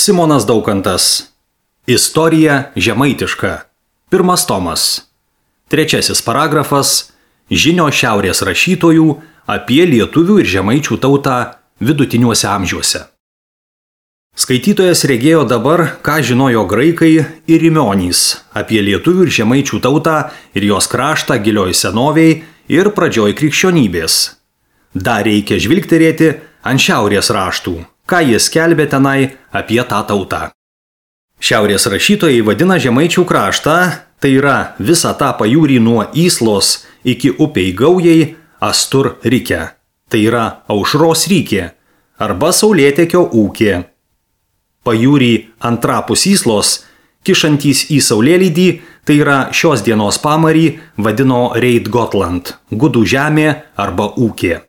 Simonas Daukantas. Istorija žemaitiška. 1 tomas. 3 paragrafas. Žinios šiaurės rašytojų apie lietuvių ir žemaičių tautą vidutiniuose amžiuose. Skaitytojas regėjo dabar, ką žinojo graikai ir rimionys apie lietuvių ir žemaičių tautą ir jos kraštą gilioj senovėj ir pradžioj krikščionybės. Dar reikia žvilgterėti ant šiaurės raštų, ką jie skelbė tenai apie tą tautą. Šiaurės rašytojai vadina žemaičių kraštą, tai yra visą tą pajūrį nuo Yslos iki upei Gaujai Astur Rike, tai yra Aušros Rykė arba Saulėtekio ūkė. Pajūrį antrapus Yslos, kišantys į Saulėlydį, tai yra šios dienos pamarį, vadino Reit Gotland, gudų žemė arba ūkė.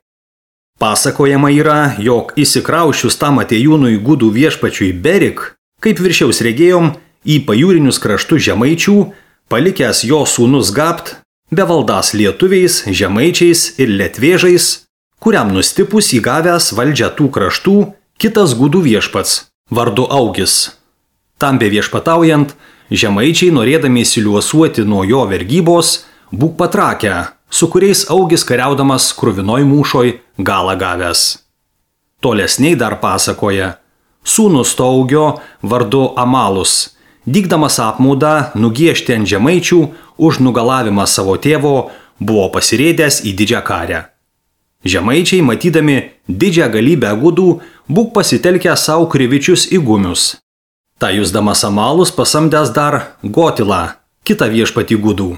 Pasakojama yra, jog įsikraušius tam atėjūnui gudų viešpačiui Berik, kaip viršiaus regėjom, į pajūrinius kraštus žemaičių, palikęs jo sūnus Gabt, bevaldąs lietuviais, žemaičiais ir lietvėžais, kuriam nustipus įgavęs valdžią tų kraštų kitas gudų viešpats, vardu Augis. Tam be viešpataujant, žemaičiai norėdami įsiliuosuoti nuo jo vergybos, būk patrakę, su kuriais Augis kariaudamas kruvinoj mūšoj galą gavęs. Tolesniai dar pasakoja, sūnus to Augio vardu Amalus, dygdamas apmaudą nugiešti ant žemaičių už nugalavimą savo tėvo, buvo pasirėdęs į didžią karę. Žemaičiai, matydami didžią galybę gudų, būk pasitelkę savo krivičius įgumius. Ta jusdamas Amalus pasamdęs dar Gotilą, kitą viešpatį gudų.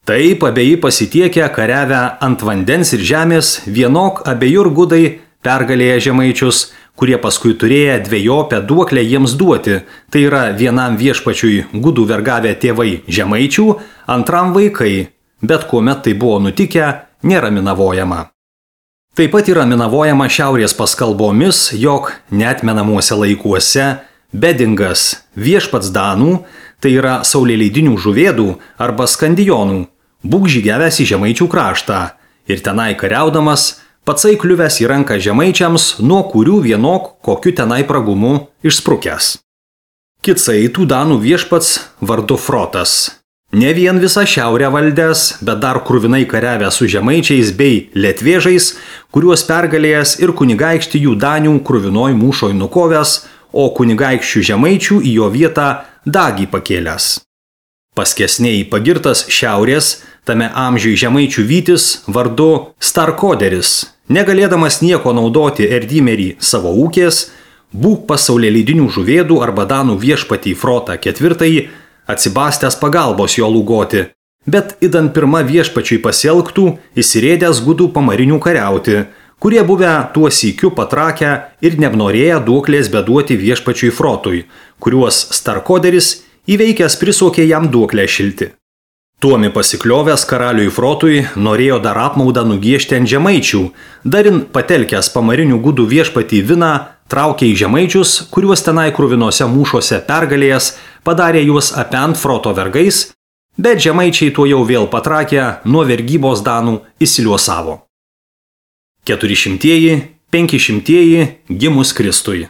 Taip abieji pasitiekę kariavę ant vandens ir žemės, vienok abiejur gudai pergalėję žemaičius, kurie paskui turėję dvejopę duoklę jiems duoti, tai yra vienam viešpačiui gudų vergavę tėvai žemaičių, antram vaikai, bet kuomet tai buvo nutikę, nėra minavojama. Taip pat yra minavojama šiaurės paskalbomis, jog neatmenamuose laikuose Bedingas, viešpats Danų, tai yra saulėleidinių žuvėdų arba skandijonų, būk žygiavęs į žemaičių kraštą ir tenai kariaudamas, patsai kliuvęs į ranką žemaičiams, nuo kurių vienok kokiu tenai pragumu išsprukęs. Kitsai tų Danų viešpats vardu Frotas. Ne vien visą šiaurę valdęs, bet dar kruvinai kariavęs su žemaičiais bei lietvėžais, kuriuos pergalėjęs ir kunigaikštį jų Danių kruvinoj mūšoj nukovęs, o kunigaikščių žemaičių į jo vietą Dagį pakėlęs. Paskesniai pagirtas šiaurės, tame amžiui žemaičių vytis vardu Starkoderis, negalėdamas nieko naudoti Erdymerį savo ūkės, būk pasaulėleidinių žuvėdų arba Danų viešpatį Frotą IV, atsibastęs pagalbos jo lūgoti, bet idant pirma viešpačiui pasielgtų, įsirėdęs gudų pamarinių kariauti, kurie buvę tuo sykiu patrakę ir neapnorėję duoklės beduoti viešpačiui Frotui, kuriuos Starkoderis įveikęs prisokė jam duoklę šilti. Tuomi pasikliovęs karaliui Frotui norėjo dar apmaudą nugiešti ant žemaičių, darin patelkęs pamarinių gudų viešpatį Viną, traukė į žemaičius, kuriuos tenai kruvinose mūšuose pergalėjęs, padarė juos apent Froto vergais, bet žemaičiai tuo jau vėl patrakę nuo vergybos Danų įsiliuosavo. 400-500 gimus Kristui.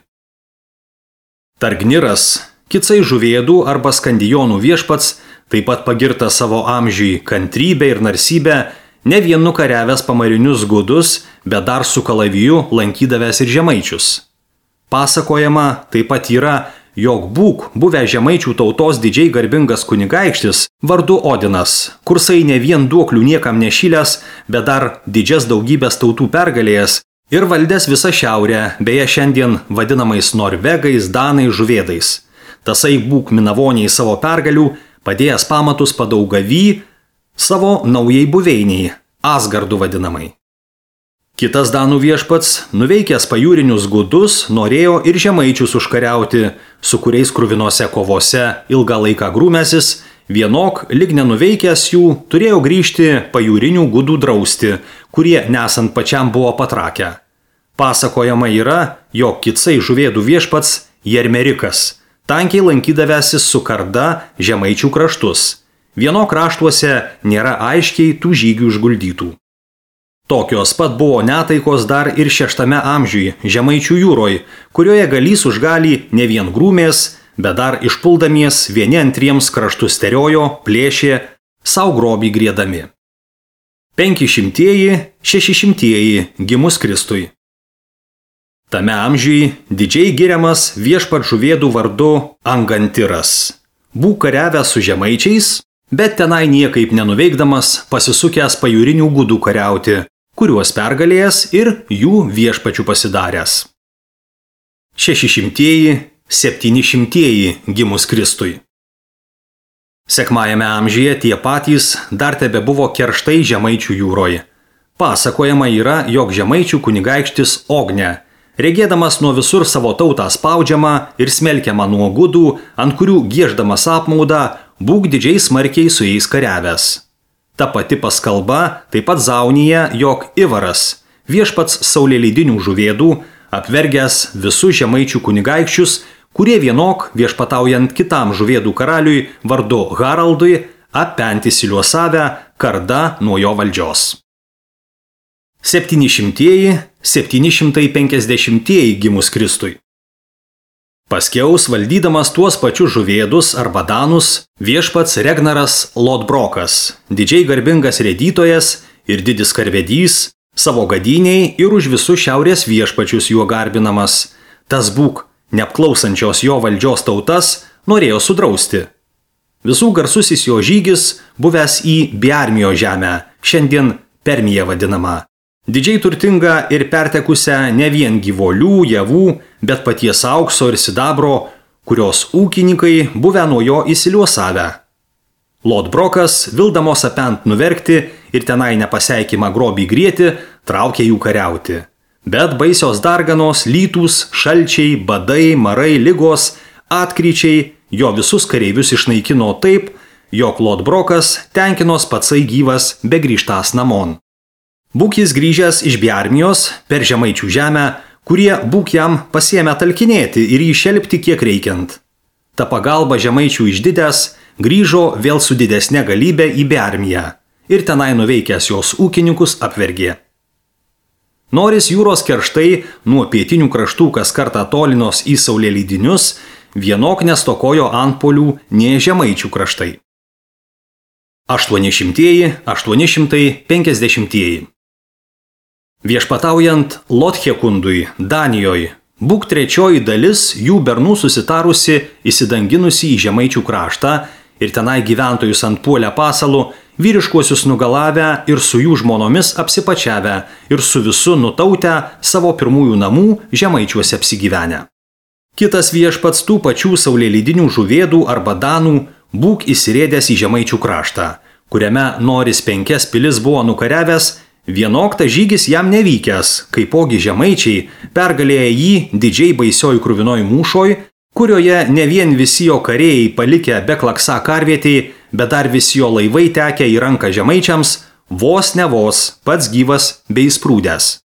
Targniras, kitsai žuvėdų arba skandijonų viešpats, taip pat pagirta savo amžiui kantrybę ir narsybę, ne vien nukariavęs pamarinius gudus, bet dar su kalaviju lankydavęs ir žemaičius. Pasakojama taip pat yra, jog būk buvę žemaičių tautos didžiai garbingas kunigaikštis vardu Odinas, kursai ne vien duoklių niekam nešilęs, bet dar didžias daugybės tautų pergalėjęs ir valdęs visą šiaurę, beje šiandien vadinamais norvegais, danais, žuvėdais. Tasai būk minavoniai savo pergalių, padėjęs pamatus Padaugavy savo naujai buveiniai, Asgardu vadinamai. Kitas Danų viešpats, nuveikęs pajūrinius gudus, norėjo ir žemaičius užkariauti, su kuriais kruvinose kovose ilgą laiką grūmęsis, vienok, lyg nenuveikęs jų, turėjo grįžti pajūrinių gudų drausti, kurie nesant pačiam buvo patrakę. Pasakojama yra, jog kitsai žuvėdų viešpats Jermerikas, tankiai lankydavęsis su karda žemaičių kraštus. Vieno kraštuose nėra aiškiai tų žygių išguldytų. Tokios pat buvo netaikos dar ir 6 amžiuje Žemaičių jūroje, kurioje galys už galį ne vien grūmės, bet dar išpuldamies vieni antriems kraštus teriojo, plėšė, savo grobį griedami. 500-600 gimus Kristui. Tame amžiuje didžiai giriamas viešpat žuvėdų vardu Angantiras. Būk kariavęs su žemaičiais, bet tenai niekaip nenuveikdamas pasisukęs pajūrinių gudų kariauti, kuriuos pergalėjęs ir jų viešpačių pasidaręs. 600-700 gimus Kristui. Sekmajame amžiuje tie patys dar tebe buvo kerštai Žemaičių jūroje. Pasakojama yra, jog Žemaičių kunigaikštis Ogne, regėdamas nuo visur savo tautą spaudžiamą ir smelkiamą nuo gudų, ant kurių gieždamas apmaudą, būk didžiai smarkiai su jais kariavęs. Ta pati paskalba taip pat Zaunija, jog Ivaras, viešpats saulėleidinių žuvėdų, apvergęs visus Žemaičių kunigaikščius, kurie vienok viešpataujant kitam žuvėdų karaliui vardu Haraldui, apenti siliuosavę karda nuo jo valdžios. 700-750 gimus Kristui. Paskiaus valdydamas tuos pačius žuvėdus arba danus, viešpats Regnaras Lodbrokas, didžiai garbingas rėdytojas ir didis karvedys, savo gadiniai ir už visus šiaurės viešpačius juo garbinamas, tas būk neapklausančios jo valdžios tautas, norėjo sudrausti. Visų garsusis jo žygis buvęs į Biarmio žemę, šiandien Permija vadinama. Didžiai turtinga ir pertekusią ne vien gyvolių, javų, bet paties aukso ir sidabro, kurios ūkininkai buvę nuo jo įsiliuosavę. Lodbrokas, vildamos apent nuverkti ir tenai nepaseikimą grobį grieti, traukė jų kariauti. Bet baisios darganos, lytūs, šalčiai, badai, marai, ligos, atkryčiai jo visus kareivius išnaikino taip, jog Lodbrokas tenkinos patsai gyvas begrįžtas namon. Būk jis grįžęs iš Biarmijos per Žemaičių žemę, kurie būk jam pasiėmė talkinėti ir jį šelpti kiek reikiant. Ta pagalba Žemaičių išdidęs grįžo vėl su didesne galybė į Biarmiją ir tenai nuveikęs jos ūkininkus apvergė. Noris jūros kerštai nuo pietinių kraštų kas kartą tolinos į saulėleidinius, vienok nestokojo antpolių nie Žemaičių kraštai. 800-850. Viešpataujant Lothekundui, Danijoje, būk trečioji dalis jų bernų susitarusi įsidanginusi į Žemaičių kraštą ir tenai gyventojus ant puolę pasalų, vyriškuosius nugalavę ir su jų žmonomis apsipačiavę ir su visu nutautę savo pirmųjų namų Žemaičiuose apsigyvenę. Kitas viešpats tų pačių saulėleidinių žuvėdų arba danų būk įsirėdęs į Žemaičių kraštą, kuriame Noris 5 pilis buvo nukariavęs, vienok ta žygis jam nevykęs, kaipogi Žemaičiai pergalėję jį didžiai baisioj krūvinoj mūšoj, kurioje ne vien visi jo karėjai palikę beklaksa karvietėj, bet dar visi jo laivai tekę į ranką žemaičiams, vos ne vos, pats gyvas bei sprūdęs.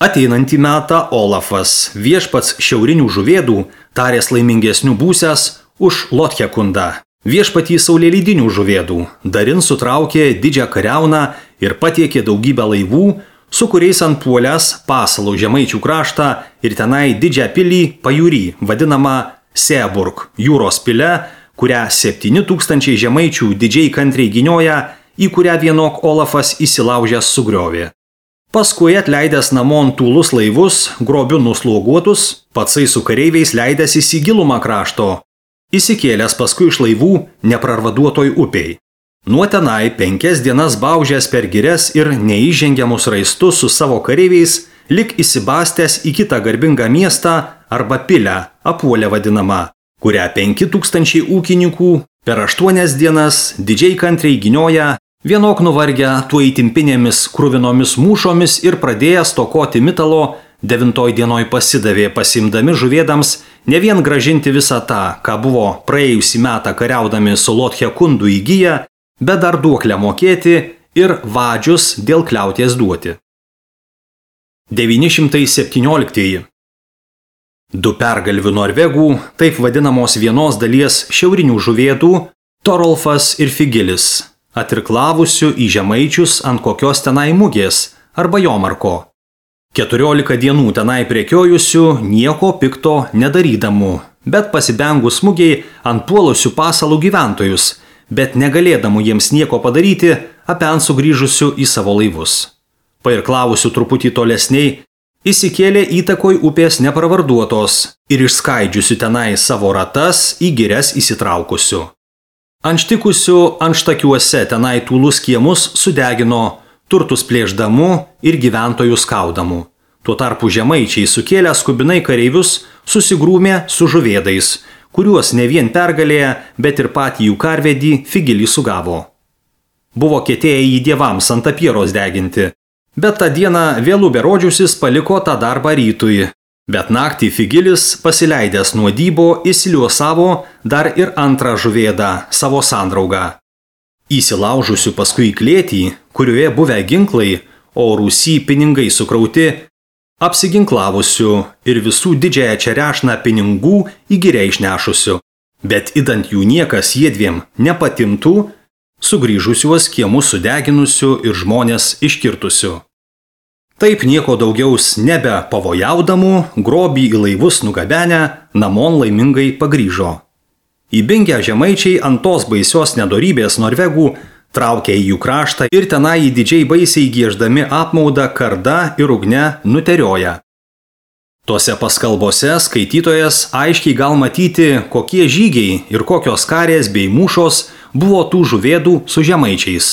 Ateinantį metą Olafas, viešpats šiaurinių žuvėdų, tarės laimingesnių būsęs už Lothekundą, viešpatį saulėleidinių žuvėdų, darin sutraukė didžią kariauną ir patiekė daugybę laivų, su kuriais ant puolės pasalų Žemaičių kraštą ir tenai didžią pilį pajūrį, vadinamą Seaburg, jūros pile, kurią 7000 žemaičių didžiai kantriai gynioja, į kurią vienok Olafas įsilaužęs sugriovė. Paskui atleidęs namon tūlus laivus, grobiu nusloguotus, patsai su kareiviais leidęsis į gilumą krašto, įsikėlęs paskui iš laivų neprarvaduotoj upiai. Nuo tenai 5 dienas baužęs per girias ir neįžengiamus raistus su savo kareiviais, lik įsibastęs į kitą garbingą miestą arba pilę, Apuolę vadinamą, kurią 5000 ūkininkų per 8 dienas didžiai kantriai gynioja, vienok nuvargę tuo įtimpinėmis kruvinomis mūšomis ir pradėjęs stokoti mitalo, 9 dienoj pasidavė pasimdami žuvėdams ne vien gražinti visą tą, ką buvo praėjusį metą kariaudami su Lothekundu įgyję, bet dar duoklę mokėti ir vadžius dėl kliauties duoti. 917. Du pergalvių norvegų, taip vadinamos vienos dalies šiaurinių žuvėdų, Torolfas ir Figilis, atirklavusių į žemaičius ant kokios tenai mugės, arba Jomarko. 14 dienų tenai prekiojusių nieko pikto nedarydamų, bet pasibengus smugiai ant puolusių pasalų gyventojus, bet negalėdamų jiems nieko padaryti, apen sugrįžusių į savo laivus. Pairklavusių truputį tolesniai, įsikėlė įtakoj upės nepravarduotos ir išskaidžiusių tenai savo ratas į girias įsitraukusių. Anštikusių anštakiuose tenai tūlus kiemus sudegino, turtus plėšdamų ir gyventojų skaudamų. Tuo tarpu žemaičiai sukėlę skubinai kareivius susigrūmė su žuvėdais, kuriuos ne vien pergalėję, bet ir patį jų karvedį Figilį sugavo. Buvo ketėję jį dievams ant apieros deginti, bet tą dieną vėlų berodžiusis paliko tą darbą rytui. Bet naktį Figilis, pasileidęs nuo dybo, įsiliuosavo dar ir antrą žuvėdą, savo sandraugą. Įsilaužusių paskui į klėtį, kurioje buvę ginklai, o rūsy pinigai sukrauti, apsiginklavusių ir visų didžiąją čerešną pinigų į girią išnešusių, bet idant jų niekas jiedviem nepatimtų, sugrįžusiuos kiemus sudeginusių ir žmonės iškirtusių. Taip nieko daugiaus nebe pavojaudamų, grobį į laivus nugabenę, namon laimingai pagrįžo. Įbingę žemaičiai ant tos baisios nedorybės norvegų traukė į jų kraštą ir tenai didžiai baisiai gieždami apmaudą karda ir ugne nuterioja. Tose paskalbose skaitytojas aiškiai gal matyti, kokie žygiai ir kokios karės bei mūšos buvo tų žuvėdų su žemaičiais.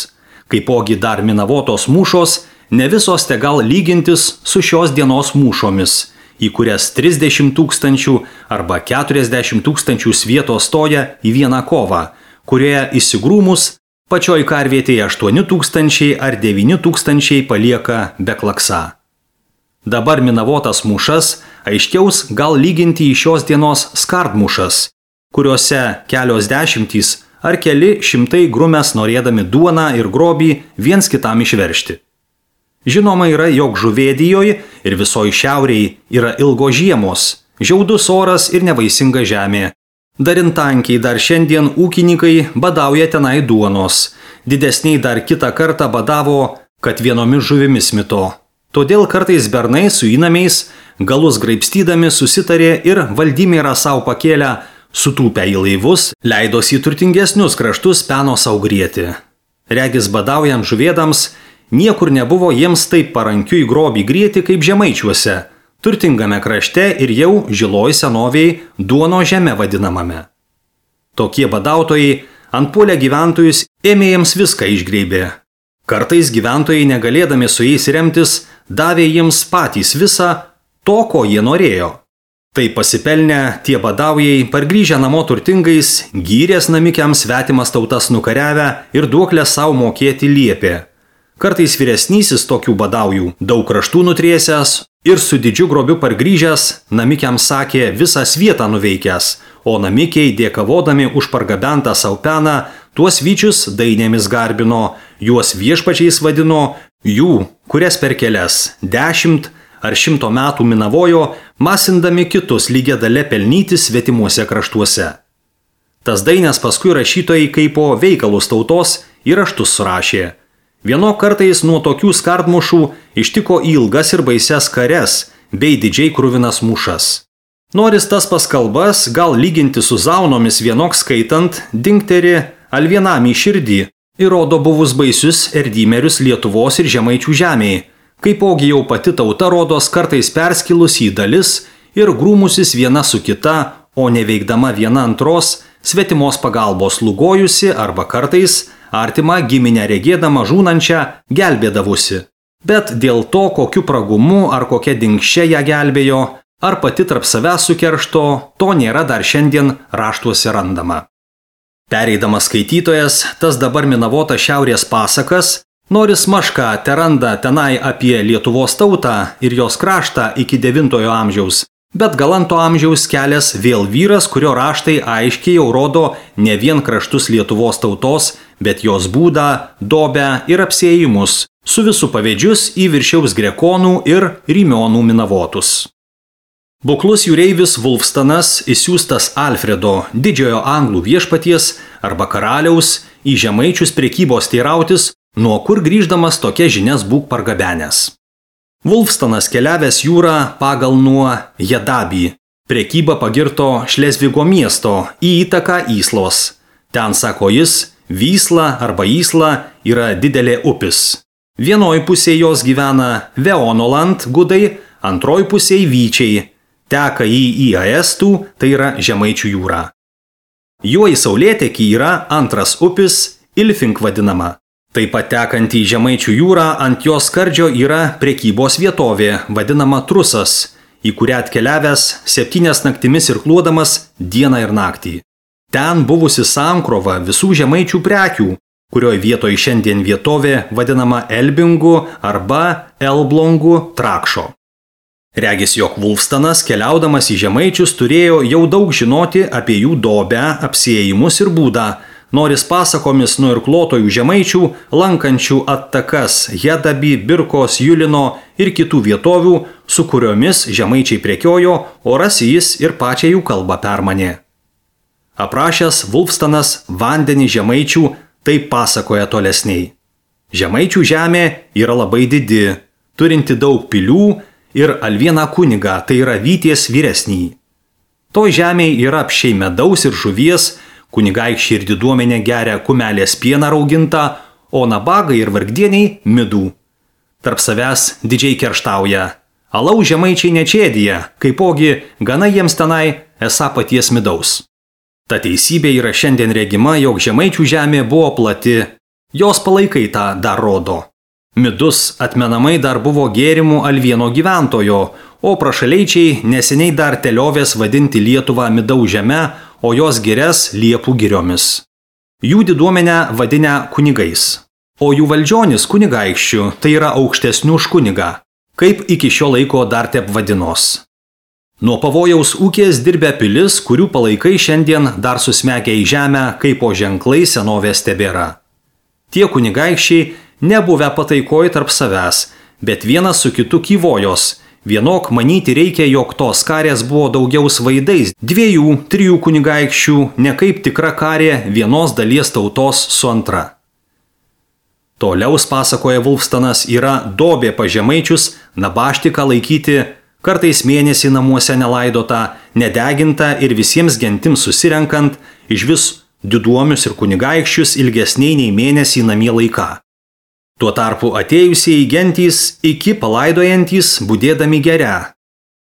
Kaipogi dar minavotos mūšos, ne visos te gal lygintis su šios dienos mūšomis, į kurias 30 000 arba 40 000 svieto stoja į vieną kovą, kurioje įsigrūmus pačioj karvietėje 8 000 ar 9 000 palieka be klaksa. Dabar minavotas mūšas aiškiaus gal lyginti į šios dienos skardmūšas, kuriuose kelios dešimtys ar keli šimtai grumės norėdami duoną ir grobį viens kitam išveršti. Žinoma yra, jog Žuvėdijoje ir visoje šiaurėje yra ilgo žiemos, žiaudus oras ir nevaisinga žemė. Darintankiai dar šiandien ūkininkai badauja tenai duonos, didesniai dar kitą kartą badavo, kad vienomis žuvimis mito. Todėl kartais bernai su įnamiais, galus graibstydami susitarė ir Valdimyrą savo pakėlę, sutūpę į laivus, leidosi į turtingesnius kraštus peno sau grieti. Regis badaujant žuvėdams, niekur nebuvo jiems taip parankiu į grobį grieti kaip žemaičiuose, turtingame krašte ir jau žiloj senovėj duono žeme vadinamame. Tokie badautojai antpuolę gyventojus ėmė jiems viską išgreibė. Kartais gyventojai negalėdami su jais remtis, davė jiems patys visą to, ko jie norėjo. Tai pasipelnę tie badaujai, pargrįžę namo turtingais, gyrės namikiams svetimas tautas nukariavę ir duoklę savo mokėti liepė. Kartais vyresnysis tokių badaujų, daug kraštų nutriesęs ir su didžiu grobiu pargrįžęs, namikiams sakė visą svietą nuveikęs, o namikiai dėkavodami už pargabentą savo peną, tuos vyčius dainėmis garbino, juos viešpačiais vadino, jų, kurias per kelias 10 ar 100 metų minavojo, masindami kitus lygia dale pelnyti svetimuose kraštuose. Tas dainės paskui rašytojai kaipo veikalus tautos į raštus surašė. Vieno kartais nuo tokių skardmušų ištiko ilgas ir baises kares bei didžiai kruvinas mūšas. Noris tas paskalbas gal lyginti su zaunomis vienok skaitant, dingteri al vienam į širdį ir rodo buvus baisius erdymerius Lietuvos ir žemaičių žemėje, kaipogi jau pati tauta rodos kartais perskilusi į dalis ir grūmusis viena su kita, o neveikdama viena antros, svetimos pagalbos lugojusi arba kartais artimą giminę regėdama žūnančią gelbėdavusi. Bet dėl to, kokiu pragumu ar kokia dingščia ją gelbėjo, ar pati tarp savęs sukeršto, to nėra dar šiandien raštuose randama. Pereidamas skaitytojas, tas dabar minavotas šiaurės pasakas, noris mašką teranda tenai apie Lietuvos tautą ir jos kraštą iki 9 amžiaus, bet galanto amžiaus kelias vėl vyras, kurio raštai aiškiai jau rodo ne vien kraštus Lietuvos tautos, bet jos būdą, dobę ir apsėjimus, su visų pavėdžius į viršiaus grekonų ir rymionų minavotus. Buklus jūreivis Vulfstanas, įsiųstas Alfredo, didžiojo anglų viešpaties arba karaliaus, į žemaičius prekybos teirautis, Nuo kur grįždamas tokia žinias būk pargabenęs. Vulfstanas keliavęs jūrą pagal nuo Jedabį. Prekybą pagirto Šlezvigo miesto į įtaką Įslos. Ten, sako jis, Vysla arba Įsla yra didelė upis. Vienoj pusėje jos gyvena Veonoland gudai, antroj pusėje Vyčiai. Teka į Aestų, tai yra Žemaičių jūra. Jo į saulėtekį yra antras upis, Ilfink vadinama. Taip pat tekant į Žemaičių jūrą ant jos skardžio yra prekybos vietovė, vadinama Trusas, į kurią atkeliavęs 7 naktimis irkluodamas dieną ir naktį. Ten buvusi sankrova visų žemaičių prekių, kurioje vietoje šiandien vietovė vadinama Elbingu arba Elblongu Trakšo. Regis, jog Vulfstanas, keliaudamas į žemaičius, turėjo jau daug žinoti apie jų dobę, apsiėjimus ir būdą, noris pasakomis nuo irkluotojų žemaičių, lankančių attakas Jedabį, Birkos, Julino ir kitų vietovių, su kuriomis žemaičiai prekiojo, o rasi jis ir pačią jų kalbą permanė. Aprašęs Vulfstanas vandenį žemaičių, taip pasakoja tolesniai. Žemaičių žemė yra labai didi, turinti daug pilių ir Alvieną kunigą, tai yra Vyties vyresnį. Toj žemėje yra apšiai medaus ir žuvies, kunigaikščiai ir diduomenė geria kumelės pieną raugintą, o nabagai ir vargdieniai midų. Tarp savęs didžiai kerštauja. Alaus žemaičiai nečėdija, kaipogi gana jiems tenai esą paties midaus. Ta teisybė yra šiandien regima, jog žemaičių žemė buvo plati. Jos palaikai tą dar rodo. Midus atmenamai dar buvo gėrimų Alvieno gyventojo, o prašaleičiai neseniai dar teliovės vadinti Lietuvą midaus žeme, o jos girias Liepų giriomis. Jų diduomenę vadinę kunigais, o jų valdžionis kunigaikščių, tai yra aukštesnių už kunigą, kaip iki šio laiko dar tep vadinos. Nuo pavojaus ūkės dirbę pilis, kurių palaikai šiandien dar susmegia į žemę, kaip po ženklai senovės tebėra. Tie kunigaikščiai nebuvę pataikoj tarp savęs, bet vienas su kitu kyvojos. Vienok manyti reikia, jog tos karės buvo daugiau svaidais 2-3 kunigaikščių, ne kaip tikra karė vienos dalies tautos su antra. Toliaus, pasakoja Vulfstanas, yra dobė pa žemaičius nabaštiką laikyti, kartais mėnesį namuose nelaidota, nedeginta ir visiems gentims susirenkant, iš vis diduomius ir kunigaikščius ilgesniai nei mėnesį namie laiką. Tuo tarpu atėjusieji gentys iki palaidojantys budėdami geria.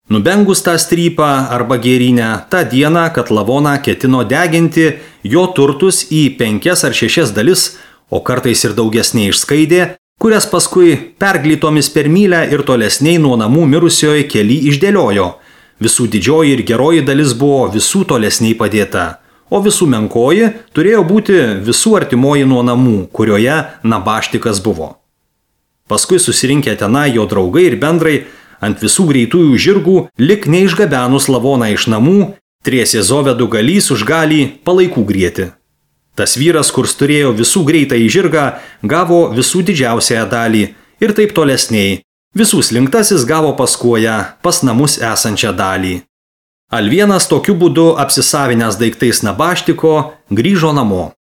Nubengus tą strypą arba gėrynę, tą dieną, kad lavoną ketino deginti jo turtus į 5 ar 6 dalis, o kartais ir daugesnė išskaidė, kurias paskui perglytomis per mylę ir tolesniai nuo namų mirusioje keli išdėliojo. Visų didžioji ir geroji dalis buvo visų tolesniai padėta. O visų menkoji turėjo būti visų artimoji nuo namų, kurioje nabaštikas buvo. Paskui susirinkę tenai jo draugai ir bendrai ant visų greitųjų žirgų, lik neišgabenus lavoną iš namų, triesė Zovedų galys už galį palaikų grieti. Tas vyras, kurs turėjo visų greitą į žirgą, gavo visų didžiausiąją dalį ir taip tolesniai. Visų slinktasis gavo paskuoją pas namus esančią dalį. Alvienas tokiu būdu apsisavinęs daiktais nabaštiko grįžo namo.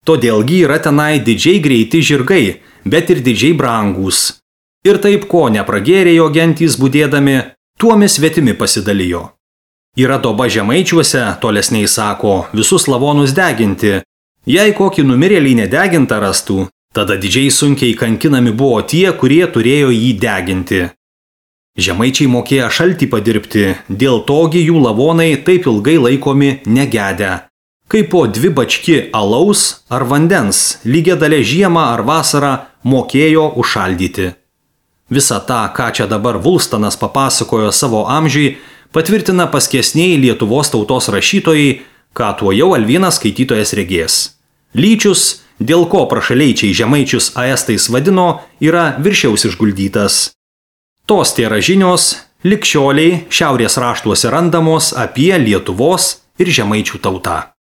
Todėlgi yra tenai didžiai greiti žirgai, bet ir didžiai brangūs. Ir taip, ko nepragėrė jo gentys budėdami, tuomis svetimi pasidalijo. Yra doba žemaičiuose, tolesniai sako, visus lavonus deginti. Jei kokį numirėlį nedegintą rastų, tada didžiai sunkiai kankinami buvo tie, kurie turėjo jį deginti. Žemaičiai mokėjo šaltį padirbti, dėl togi jų lavonai taip ilgai laikomi negedę. Kaip po 2 bački alaus ar vandens, lygia dalė žiemą ar vasarą mokėjo užšaldyti. Visą tą, ką čia dabar Vulfstanas papasakojo savo amžiui, patvirtina paskesniai Lietuvos tautos rašytojai, ką tuo jau Alvienas skaitytojas regės. Lyčius, dėl ko prašaleičiai žemaičius aestais vadino, yra viršiaus išguldytas. Tos tėra žinios, lig šioliai šiaurės raštuose randamos apie Lietuvos ir žemaičių tautą.